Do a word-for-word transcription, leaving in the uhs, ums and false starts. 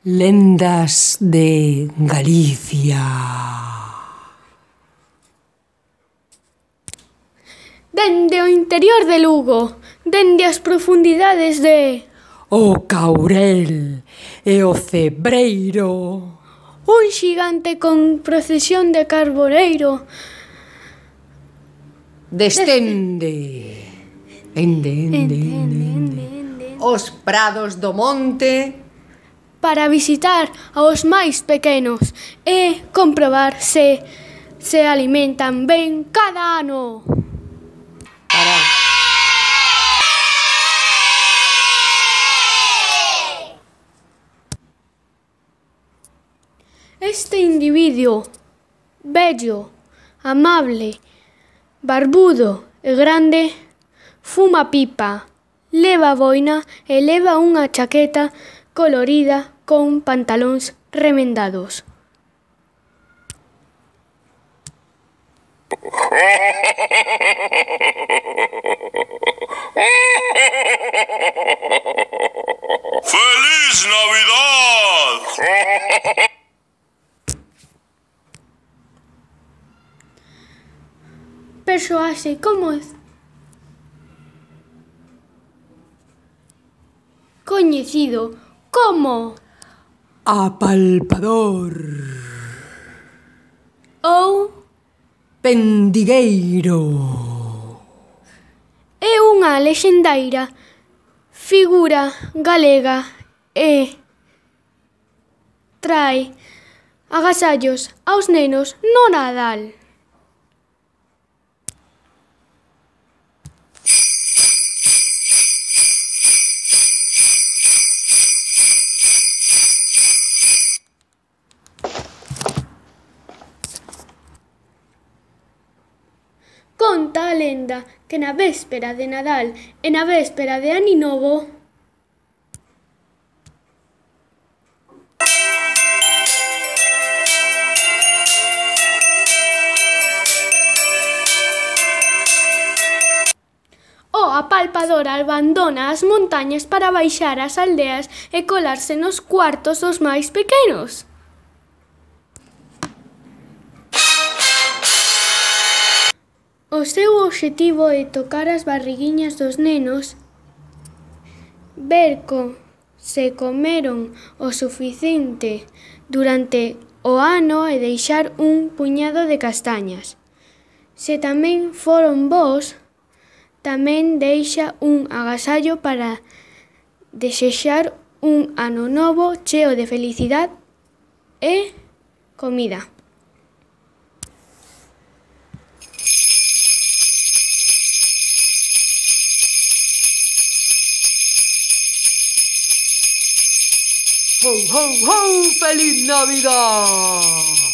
Lendas de Galicia. Dende o interior de Lugo, dende as profundidades de O Caurel e o Cebreiro. Un xigante con procesión de carboneiro Descende. Ende, ende, ende, ende. Os prados do monte para visitar aos máis pequenos e comprobar se se alimentan ben cada ano. para... Este individuo, bello, amable, barbudo e grande, fuma pipa, leva boina e leva unha chaqueta colorida con pantalóns remendados. ¡Feliz Navidad! Persoaxe como es coñecido como Apalpador. ou Pendigueiro. é unha lexendaira figura galega e trae agasallos aos nenos no Nadal. Conta a lenda que na véspera de Nadal e na véspera de Aninovo o apalpador abandona as montañas para baixar ás aldeas e colarse nos cuartos dos máis pequenos. O seu obxectivo é tocar as barriguiñas dos nenos, ver co se comeron o suficiente durante o ano e deixar un puñado de castañas. Se tamén foron bos, tamén deixa un agasallo para desexar un ano novo cheo de felicidade e comida. ¡Ho, ho, ho! ¡Feliz Navidad!